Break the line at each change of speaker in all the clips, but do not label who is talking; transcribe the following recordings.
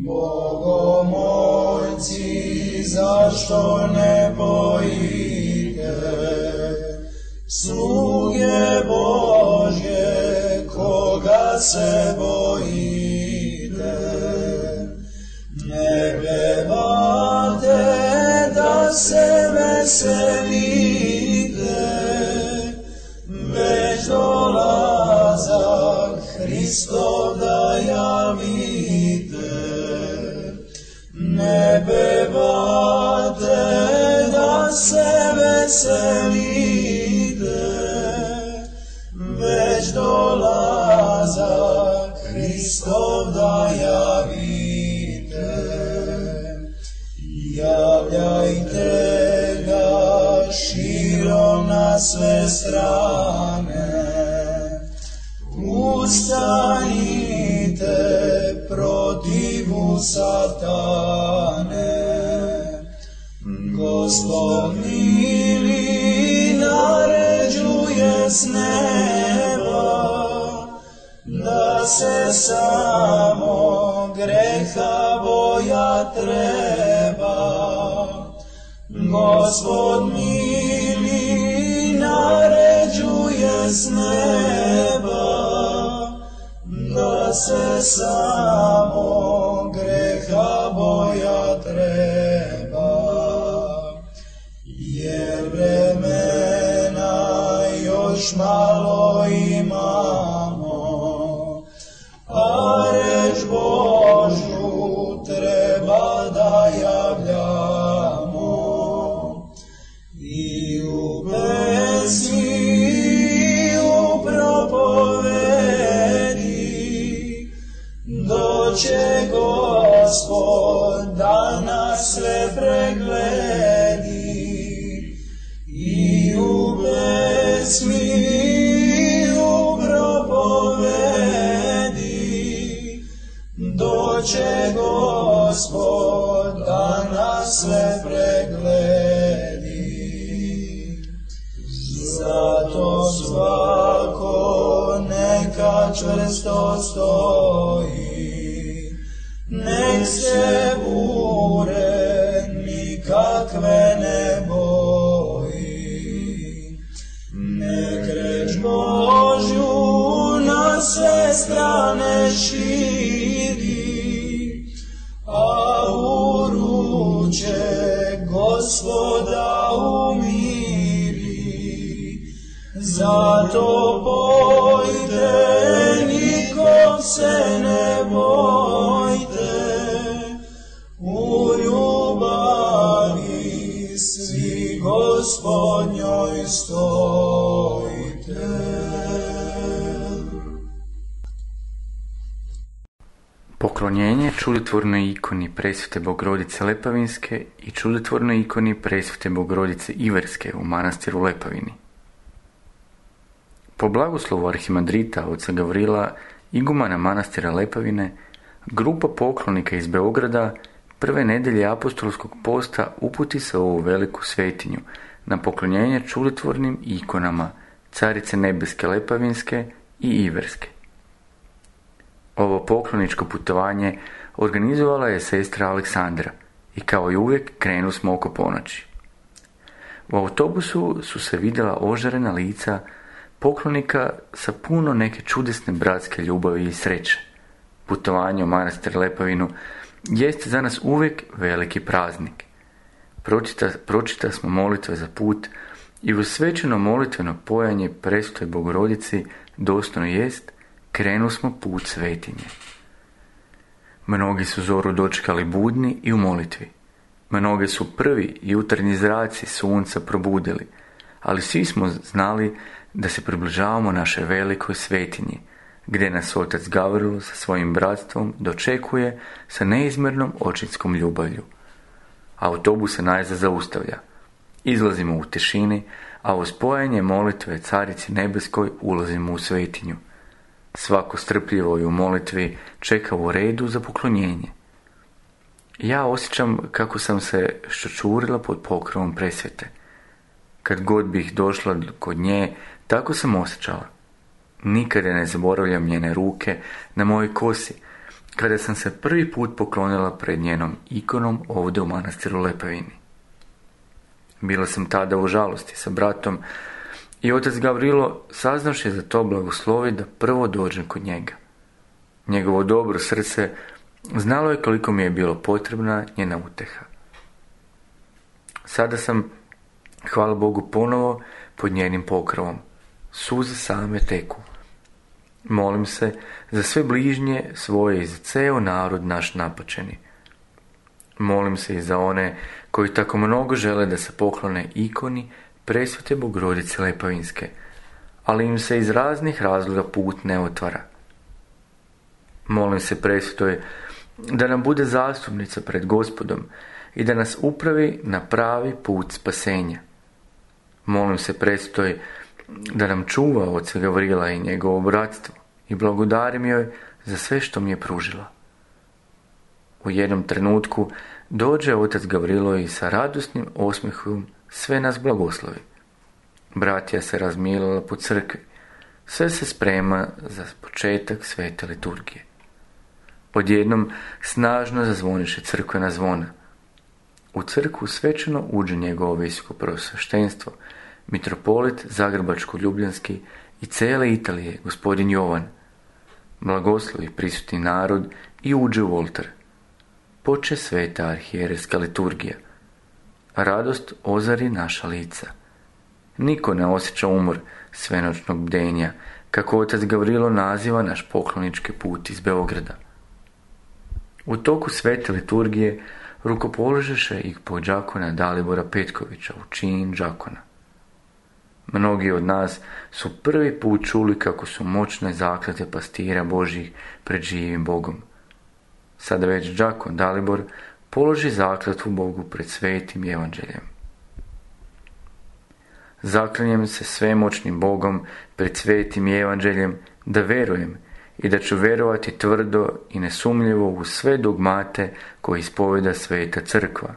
Bogomolci, zašto ne bojite? Sluge Božje, koga se bojite? Ne pevate da se veselite, već dolazak Hristov da javite. Ne pevate da se veselite, već dolazak Hristov da javite. Javljajte ga širom na sve strane, ustanite protivu satane. Gospod mili naređuje s neba, da se samo greha boja treba. Gospod mili naređuje s neba, da se samo greha boja treba. Jer vremena još malo imamo, a reč Božju treba da javljamo. I u pesmi, i u propovedi, doće Gospod da nas sve pregledi. I u pesmi, i u propovedi, doće Gospod da nas sve pregledi. Zato svako neka čvrsto stoji, nek se bure nikakve ne boji. Nek reč Božju na sve strane širi, a uruče Gospoda umiri. Zato bojte, nikom se ne bojte, u ljubavi svi Gospodnjoj stojite.
Poklonjenje čudotvornoj ikoni Presvete Bogorodice Lepavinske i čudotvornoj ikoni Presvete Bogorodice Iverske u manastiru Lepavini. Po blagoslovu arhimandrita oca Gavrila, igumana manastira Lepavine, grupa poklonika iz Beograda prve nedelje apostolskog posta uputi se u ovu veliku svetinju na poklonjenje čudotvornim ikonama Carice Nebeske Lepavinske i Iverske. Ovo pokloničko putovanje organizovala je sestra Aleksandra i kao i uvijek krenu smo oko ponoći. U autobusu su se vidjela ožarena lica poklonika sa puno neke čudesne bratske ljubavi i sreće. Putovanje u manastir Lepavinu jeste za nas uvijek veliki praznik. Pročita smo molitve za put i uz svećeno molitveno pojanje Presvetoj Bogorodici doslovno jest, krenu smo put svetinje. Mnogi su zoru dočekali budni i u molitvi. Mnoge su prvi jutarnji zraci sunca probudili, ali svi smo znali da se približavamo našoj velikoj svetinji, gdje nas otac Gavrilo sa svojim bratstvom dočekuje sa neizmjernom očinskom ljubavlju. Autobus se najzad zaustavlja. Izlazimo u tišini, a uz spojanje molitve Carici Nebeskoj ulazimo u svetinju. Svako strpljivo i u molitvi čeka u redu za poklonjenje. Ja osjećam kako sam se ščučurila pod pokrovom Presvete. Kad god bih došla kod nje, tako sam osjećala. Nikada ne zaboravljam njene ruke na mojoj kosi kada sam se prvi put poklonila pred njenom ikonom ovdje u manastiru Lepavini. Bila sam tada u žalosti sa bratom i otac Gavrilo, saznavši za to, blagoslovi da prvo dođem kod njega. Njegovo dobro srce znalo je koliko mi je bilo potrebna njena uteha. Sada sam, hvala Bogu, ponovo pod njenim pokrovom. Suze same teku. Molim se za sve bližnje svoje i za ceo narod naš napačeni. Molim se i za one koji tako mnogo žele da se poklone ikoni Presvete Bogorodice Lepavinske, ali im se iz raznih razloga put ne otvara. Molim se Presvetoj da nam bude zastupnica pred Gospodom i da nas upravi na pravi put spasenja. Molim se Presvetoj da nam čuva oca Gavrila i njegovo bratstvo i blagodarim joj za sve što mi je pružila. U jednom trenutku dođe otac Gavrilo i sa radosnim osmehom sve nas blagoslovi. Bratija se razmilila po crkvi. Sve se sprema za početak svete liturgije. Odjednom snažno zazvoniše crkvena zvona. U crkvu svečano uđe njegovo visoko preosveštenstvo, mitropolit Zagrebačko-Ljubljanski i cele Italije, gospodin Jovan. Blagoslovi prisutni narod i uđe u oltar. Poče sveta arhijerejska liturgija. Radost ozari naša lica. Niko ne osjeća umor svenoćnog bdenja, kako otac Gavrilo naziva naš poklonički put iz Beograda. U toku svete liturgije rukopoložeše ih po đakona Dalibora Petkovića u čin đakona. Mnogi od nas su prvi put čuli kako su moćne zaklete pastira Božjih pred živim Bogom. Sada već đakon Dalibor položi zakletvu Bogu pred svetim evanđeljem. Zaklinjem se svemoćnim Bogom pred svetim evanđeljem da verujem i da ću verovati tvrdo i nesumnjivo u sve dogmate koje ispoveda sveta crkva,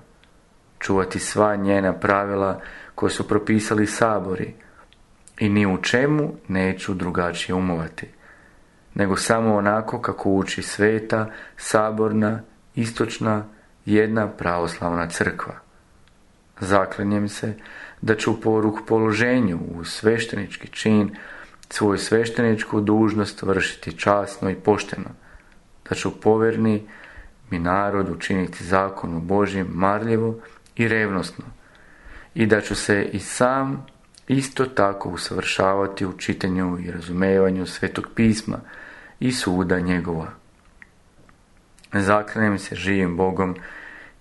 čuvati sva njena pravila koje su propisali sabori i ni u čemu neću drugačije umovati, nego samo onako kako uči sveta, saborna, istočna, jedna pravoslavna crkva. Zaklinjem se da ću po rukopoloženju u sveštenički čin svoju svešteničku dužnost vršiti časno i pošteno, da ću povjerni mi narod učiniti zakonu Božjem marljivo i revnosno i da ću se i sam isto tako usavršavati u čitanju i razumevanju Svetog pisma i suda njegova. Zaklinjem se živim Bogom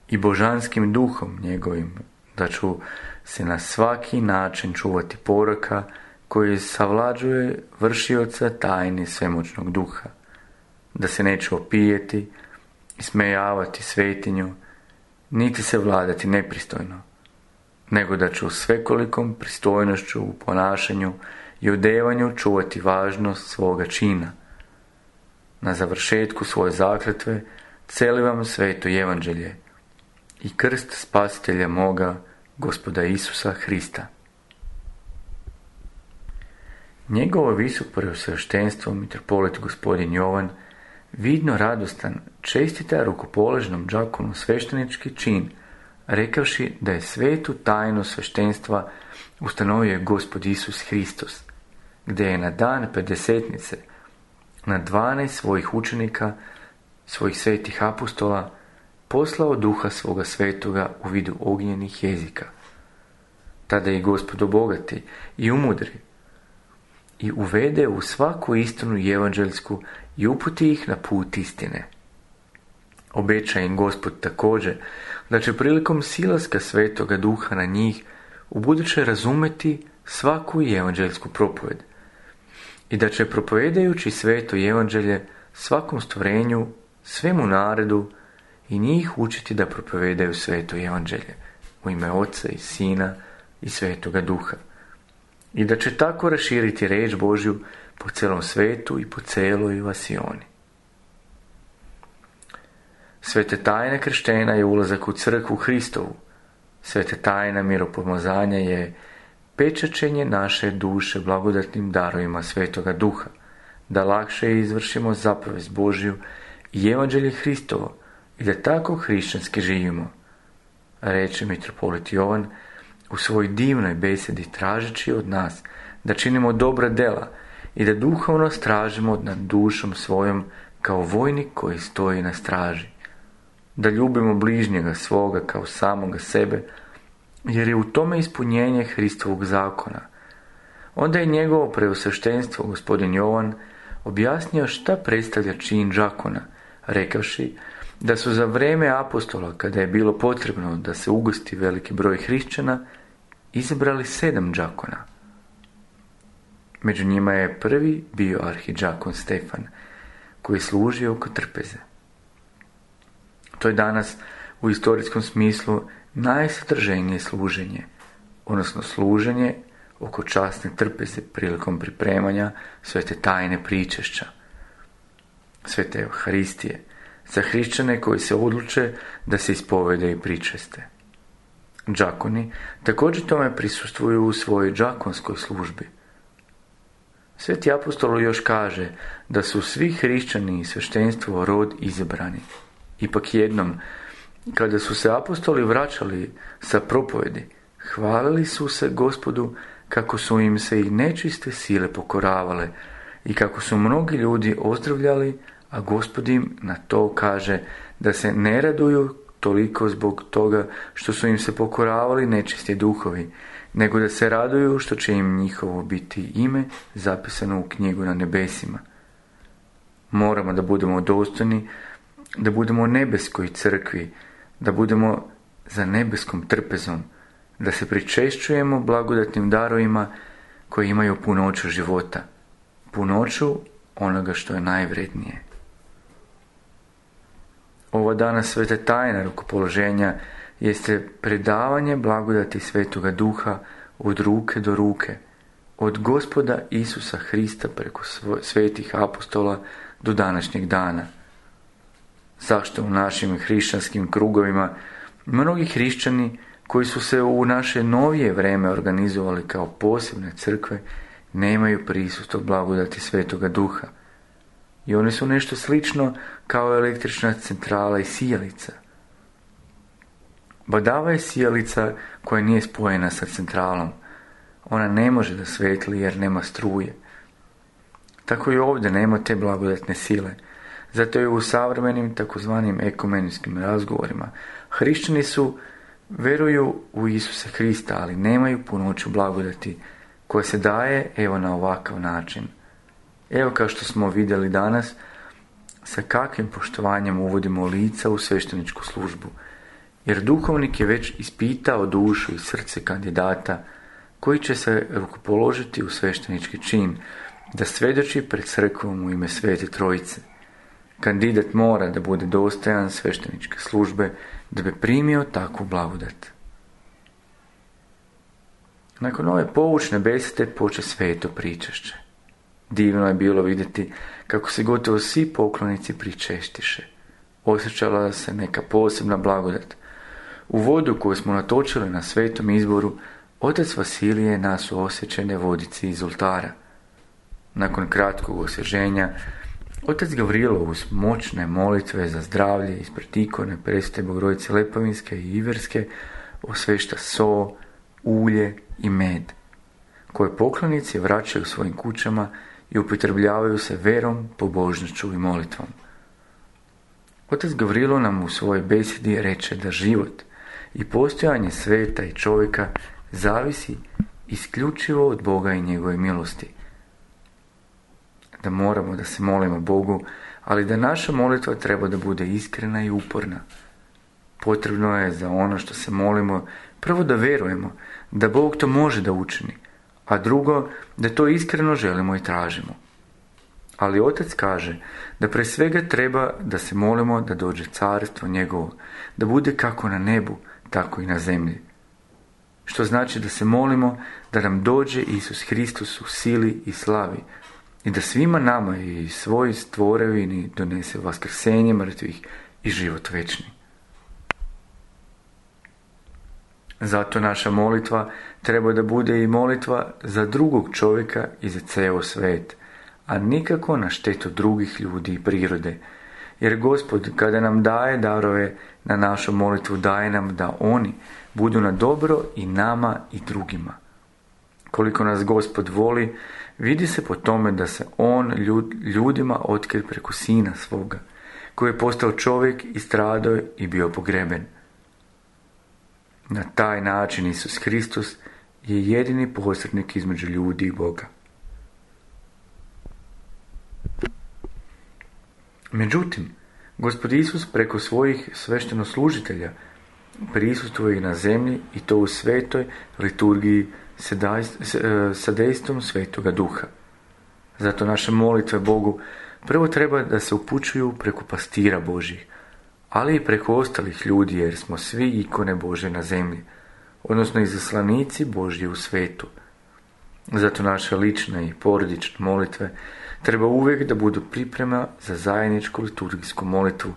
i božanskim duhom njegovim, da ću se na svaki način čuvati poroka koji savlađuje vršioca tajni svemoćnog duha, da se neću opijeti, ismejavati svetinju, niti se vladati nepristojno, nego da ću svekolikom pristojnošću u ponašanju i odevanju čuvati važnost svoga čina. Na završetku svoje zakletve celivam sveto evanđelje i krst spasitelja moga, Gospoda Isusa Hrista. Njegovo visoko preosveštenstvo, mitropolit gospodin Jovan, vidno radostan, čestita rukopoloženom đakonu sveštenički čin, rekavši da je svetu tajnu sveštenstva ustanovio Gospod Isus Hristos, gdje je na dan pedesetnice na 12 svojih učenika, svojih svetih apostola, poslao duha svoga svetoga u vidu ognjenih jezika. Tada je Gospod obogati i umudri i uvede u svaku istinu evanđeljsku i uputi ih na put istine. Obeća im Gospod također da će prilikom silaska svetoga duha na njih ubuduće razumeti svaku evanđeljsku propoved i da će propovedajući sveto evanđelje svakom stvorenju, svemu narodu i njih učiti da propovedaju sveto evanđelje u ime Oca i Sina i Svetoga Duha i da će tako raširiti riječ Božju po celom svetu i po celoj vasioni. Svete tajna krštenja je ulazak u crkvu Hristovu. Svete tajna miropomazanja je pečačenje naše duše blagodatnim darovima Svetoga Duha, da lakše izvršimo zapovest Božju i evanđelje Hristovo i da tako hrišćanski živimo, reče mitropolit Jovan u svojoj divnoj besedi tražeći od nas da činimo dobra dela i da duhovno stražimo nad dušom svojom kao vojnik koji stoji na straži, da ljubimo bližnjega svoga kao samoga sebe, jer je u tome ispunjenje Hristovog zakona. Onda je njegovo preosveštenstvo gospodin Jovan objasnio šta predstavlja čin đakona, rekavši da su za vrijeme apostola, kada je bilo potrebno da se ugosti veliki broj hrišćana, izabrali 7 đakona. Među njima je prvi bio arhidžakon Stefan, koji je služio oko trpeze. To je danas u istorijskom smislu najsadržajnije služenje, odnosno služenje oko časne trpeze prilikom pripremanja svete tajne pričešća, svete Euharistije, za hrišćane koji se odluče da se ispovede i pričeste. Đakoni također tome prisustvuju u svojoj đakonskoj službi. Sveti apostol još kaže da su svi hrišćani i sveštenstvo rod izabrani. Ipak jednom, kada su se apostoli vraćali sa propovedi, hvalili su se Gospodu kako su im se i nečiste sile pokoravale i kako su mnogi ljudi ozdravljali, a Gospod im na to kaže da se ne raduju toliko zbog toga što su im se pokoravali nečisti duhovi, nego da se raduju što će im njihovo biti ime zapisano u knjigu na nebesima. Moramo da budemo dostojni, da budemo nebeskoj crkvi, da budemo za nebeskom trpezom, da se pričešćujemo blagodatnim darovima koji imaju punoću života, punoću onoga što je najvrednije. Ova danas sveta tajna rukopoloženja jeste predavanje blagodati Svetoga Duha od ruke do ruke, od Gospoda Isusa Hrista preko svetih apostola do današnjeg dana. Zašto u našim hrišćanskim krugovima mnogi hrišćani koji su se u naše novije vreme organizovali kao posebne crkve nemaju prisustvo blagodati Svetoga Duha? I one su nešto slično kao električna centrala i sijalica. Badava je sijalica koja nije spojena sa centralom. Ona ne može da svetli jer nema struje. Tako i ovdje nema te blagodatne sile. Zato je u savremenim takozvanim ekumenskim razgovorima hrišćani veruju u Isusa Hrista, ali nemaju punoću blagodati koja se daje evo na ovakav način. Evo kao što smo vidjeli danas, sa kakvim poštovanjem uvodimo lica u svešteničku službu, jer duhovnik je već ispitao dušu i srce kandidata koji će se rukopoložiti u sveštenički čin, da svjedoči pred crkvom u ime Svete Trojice. Kandidat mora da bude dostojan svešteničke službe da bi primio takvu blagodat. Nakon ove poučne besede poče sveto pričešće. Divno je bilo vidjeti kako se gotovo svi poklonici pričestiše. Osjećala se neka posebna blagodat. U vodu koju smo natočili na svetom izboru, otac Vasilije nas u osjećene vodici iz oltara. Nakon kratkog osvježenja, otac Gavrilo uz moćne molitve za zdravlje ispred ikone Presvete Bogorodice Lepovinske i Iverske osvešta so, ulje i med, koje poklonici vraćaju svojim kućama i upotrebljavaju se verom, pobožnošću i molitvom. Otac Gavrilo nam u svojoj besedi reče da život i postojanje sveta i čovjeka zavisi isključivo od Boga i njegove milosti. Da moramo da se molimo Bogu, ali da naša molitva treba da bude iskrena i uporna. Potrebno je za ono što se molimo prvo da vjerujemo da Bog to može da učini, a drugo da to iskreno želimo i tražimo. Ali otac kaže da pre svega treba da se molimo da dođe carstvo njegovo, da bude kako na nebu, tako i na zemlji. Što znači da se molimo da nam dođe Isus Hristos u sili i slavi i da svima nama i svoj stvorevini donese vaskrsenje mrtvih i život večni. Zato naša molitva treba da bude i molitva za drugog čovjeka i za ceo svet, a nikako na štetu drugih ljudi i prirode, jer Gospod kada nam daje darove na našu molitvu, daje nam da oni budu na dobro i nama i drugima. Koliko nas Gospod voli, vidi se po tome da se on ljudima otkrije preko Sina svoga, koji je postao čovjek i stradao i bio pogreben. Na taj način Isus Hristos je jedini posrednik između ljudi i Boga. Međutim, Gospod Isus preko svojih sveštenoslužitelja prisustvuje na zemlji i to u svetoj liturgiji sa dejstvom Svetoga Duha. Zato naše molitve Bogu prvo treba da se upućuju preko pastira Božjih, ali i preko ostalih ljudi, jer smo svi ikone Božje na zemlji, odnosno izaslanici Božji u svetu. Zato naše lične i porodične molitve treba uvijek da budu priprema za zajedničku liturgijsku molitvu,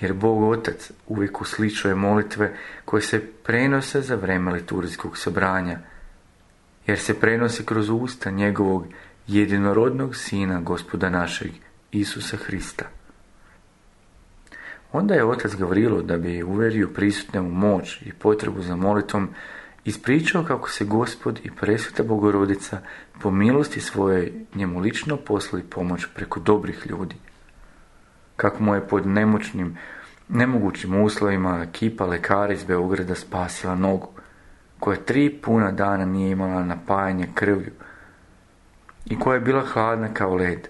jer Bog Otac uvijek uslišuje molitve koje se prenose za vrijeme liturgijskog sobranja, jer se prenosi kroz usta njegovog jedinorodnog Sina, Gospoda našeg, Isusa Hrista. Onda je otac Gavrilo, da bi uverio prisutne u moć i potrebu za molitvom, ispričao kako se Gospod i presveta Bogorodica po milosti svoje njemu lično poslali pomoć preko dobrih ljudi. Kako mu je pod nemogućim uslovima ekipa lekara iz Beograda spasila nogu, koja 3 puna dana nije imala napajanje krvlju i koja je bila hladna kao led.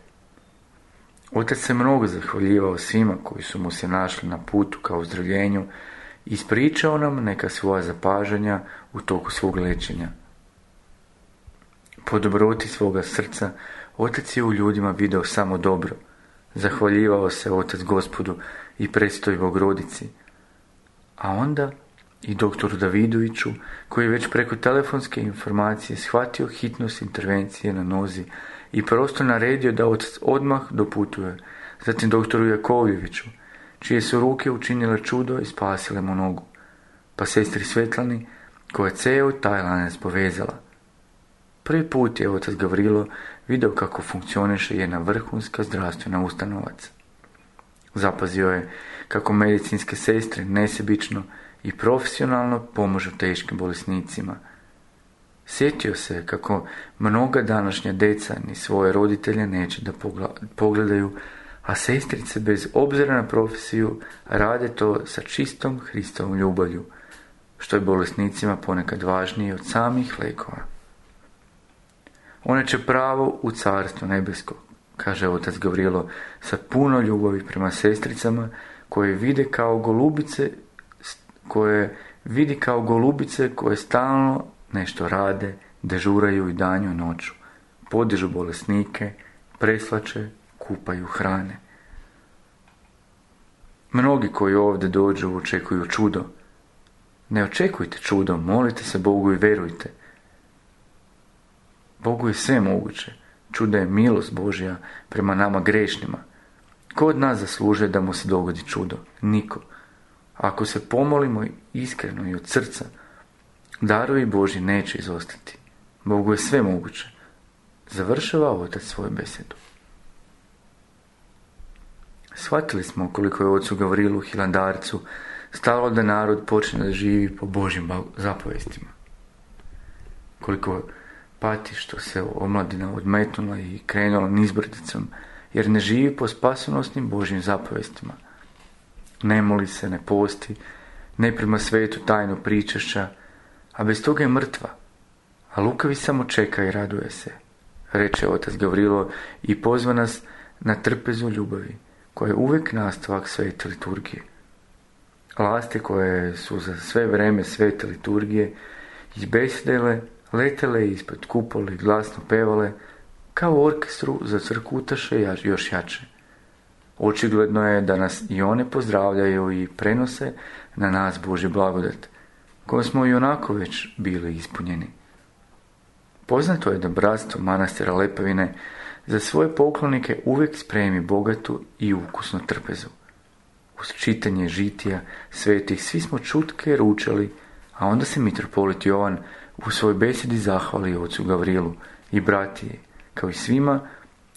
Otac se mnogo zahvaljivao svima koji su mu se našli na putu ka ozdravljenju i ispričao nam neka svoja zapažanja u toku svog liječenja. Po dobroti svoga srca, otac je u ljudima video samo dobro. Zahvaljivao se otac Gospodu i Presvetoj Bogorodici. A onda i doktoru Davidoviću, koji je već preko telefonske informacije shvatio hitnost intervencije na nozi i prosto naredio da otac odmah doputuje. Zatim doktoru Jakovljeviću, čije su ruke učinile čudo i spasile mu nogu, pa sestri Svetlani, koja je ceo taj lanac povezala. Prvi put je otac Gavrilo video kako funkcioniše jedna vrhunska zdravstvena ustanovac. Zapazio je kako medicinske sestre nesebično i profesionalno pomažu teškim bolesnicima. Sjetio se kako mnoga današnja deca ni svoje roditelje neće da pogledaju, a sestrice bez obzira na profesiju rade to sa čistom Hristovom ljubavlju, što je bolesnicima ponekad važnije od samih lekova. One će pravo u carstvo nebesko, kaže otac Gavrilo sa puno ljubavi prema sestricama koje vidi kao golubice koje stalno nešto rade, dežuraju i danju i noću, podižu bolesnike, preslače, kupaju, hrane. Mnogi koji ovdje dođu očekuju čudo. Ne očekujte čudo, molite se Bogu i verujte. Bogu je sve moguće. Čudo je milost Božja prema nama grešnima. Ko od nas zaslužuje da mu se dogodi čudo? Niko. Ako se pomolimo iskreno i od srca, darovi Božji neće izostati. Bogu je sve moguće. Završava otac svoju besedu. Shvatili smo koliko je ocu Gavrilu Hilandarcu stalo da narod počne da živi po Božjim zapovestima. Koliko pati što se omladina odmetnula i krenula nizbrdicom, jer ne živi po spasonosnim Božjim zapovestima. Ne moli se, ne posti, ne prima svetu tajnu pričešća, a bez toga je mrtva. A lukavi samo čeka i raduje se, reče otac Gavrilo i pozva nas na trpezu ljubavi, koja je uvijek nastavak svete liturgije. Lasti koje su za sve vreme svete liturgije izbesedele, letele ispod kupole i glasno pevale, kao orkestru za crkutaše još jače. Očigledno je da nas i one pozdravljaju i prenose na nas Božji blagodat, kojom smo i onako već bili ispunjeni. Poznato je da bratstvo manastira Lepavine za svoje poklonike uvijek spremi bogatu i ukusnu trpezu. Uz čitanje žitija svetih svi smo čutke ručali, a onda se mitropolit Jovan u svojoj besedi zahvali ocu Gavrilu i bratiji, kao i svima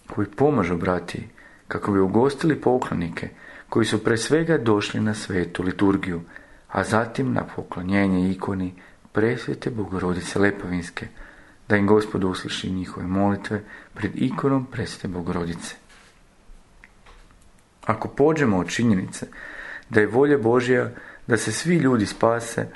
koji pomažu bratiji, kako bi ugostili poklonike koji su pre svega došli na svetu liturgiju, a zatim na poklonjenje ikoni presvete Bogorodice Lepovinske, da im Gospod usliši njihove molitve pred ikonom presvete Bogorodice. Ako pođemo od činjenice da je volja Božja da se svi ljudi spase,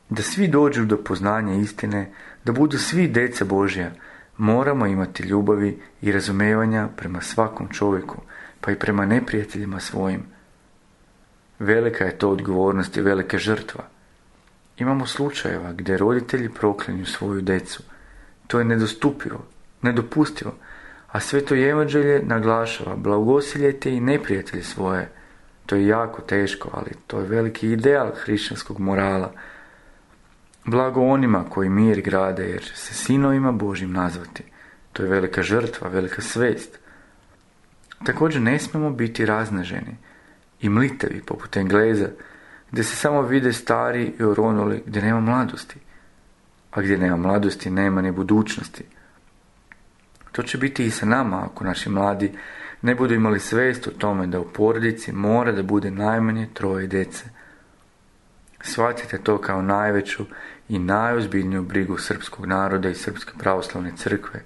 da svi dođu do poznanja istine, da budu svi djeca Božja, moramo imati ljubavi i razumevanja prema svakom čovjeku, pa i prema neprijateljima svojim. Velika je to odgovornost i velika žrtva. Imamo slučajeva gdje roditelji proklinju svoju djecu. To je nedostupivo, nedopustivo, a Sveto Evanđelje naglašava: blagosiljajte i neprijatelje svoje. To je jako teško, ali to je veliki ideal hrišćanskog morala. Blago onima koji mir grade, jer će se sinovima Božjim nazvati. To je velika žrtva, velika svest. Također ne smijemo biti raznaženi i mlitevi poput Engleza, gdje se samo vide stari i oronuli, gdje nema mladosti. A gdje nema mladosti, nema ni budućnosti. To će biti i sa nama ako naši mladi ne budu imali svijest o tome da u porodici mora da bude najmanje 3 djece. Shvatite to kao najveću i najozbiljniju brigu srpskog naroda i Srpske pravoslavne crkve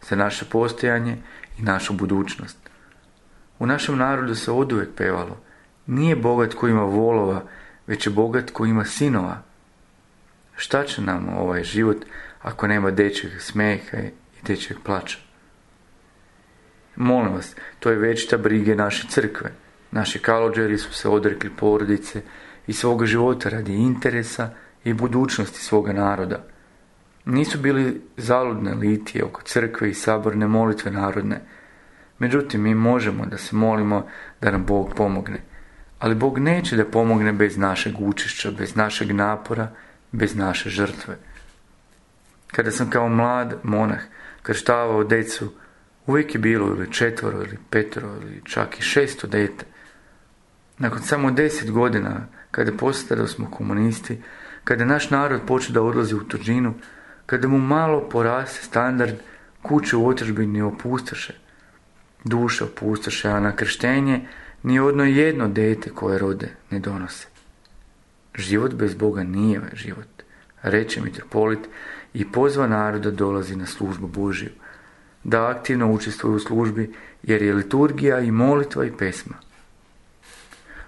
za naše postojanje i našu budućnost. U našem narodu se oduvijek pevalo: nije bogat ko ima volova, već je bogat ko ima sinova. Šta će nam ovaj život ako nema dečjeg smeha i dečjeg plača? Molim vas, to je večita brige naše crkve. Naši kalođeri su se odrekli porodice i svoga života radi interesa i budućnosti svoga naroda. Nisu bili zaludne litije oko crkve i saborne molitve narodne. Međutim, mi možemo da se molimo da nam Bog pomogne. Ali Bog neće da pomogne bez našeg učešća, bez našeg napora, bez naše žrtve. Kada sam kao mlad monah krštavao decu, uvijek je bilo ili 4 ili 5 ili čak i 6 dete. Nakon samo 10 godina, kada postali smo komunisti, kada naš narod počeo da odlazi u tuđinu, kada mu malo poraste standard, kuće u otadžbini opustoše, duše opustoše, a na krštenje ni jedno dete koje rode ne donose. Život bez Boga nije život, reče mitropolit i pozva naroda dolazi na službu Božju, da aktivno učestvuje u službi, jer je liturgija i molitva i pesma.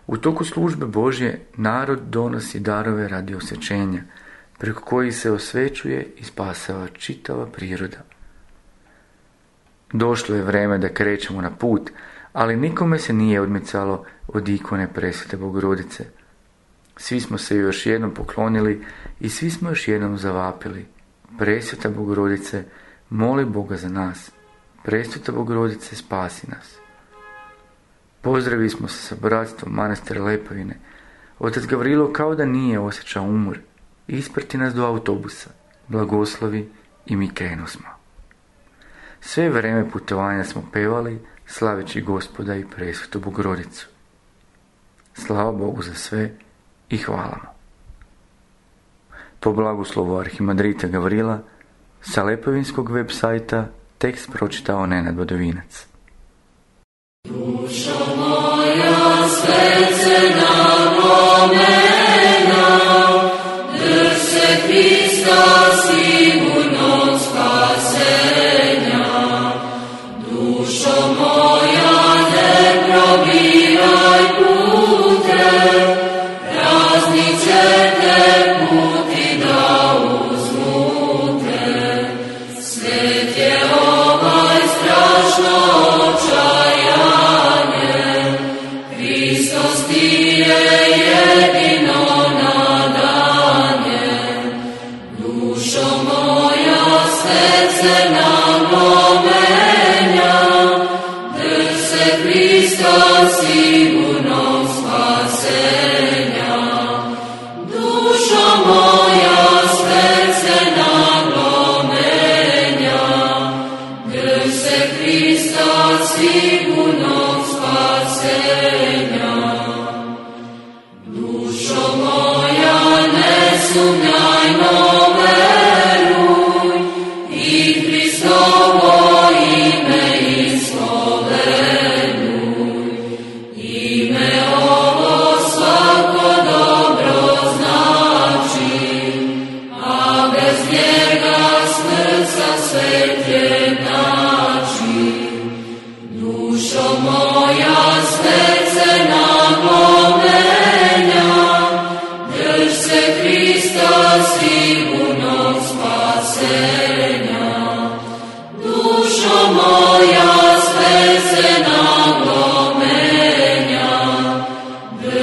U toku službe Božje narod donosi darove radi osvećenja, preko kojih se osvećuje i spasava čitava priroda. Došlo je vreme da krećemo na put, ali nikome se nije odmicalo od ikone presvete Bogorodice. Svi smo se još jednom poklonili i svi smo još jednom zavapili: presveta Bogorodice, moli Boga za nas. Presveta Bogorodice, spasi nas. Pozdravili smo se sa bratstvom manastira Lepovine. Otac Gavrilo kao da nije osjećao umor. Isprati nas do autobusa, blagoslovi i mi krenusmo. Sve vreme putovanja smo pevali, slaveći Gospoda i presvetu Bogorodicu. Slava Bogu za sve i hvala mu. Po blagoslovu arhimandrita Gavrila, sa Lepovinskog web sajta tekst pročitao Nenad Vodovinac.
Dušo moja svecena pomena, drž se Hrista sigurnog spasenja. Dušo moja ne probiraj pute, raznice te puti da uzmute. Svet je ovaj strašno očajanje, Hristos ti je jedino nadanje. Dušo moja svecena pomenja, drž se Hrista sigurnog spasenja. Dušo moja svecena pomenja, drž se Hrista sigurnog spasenja.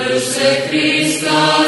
Duše Hrista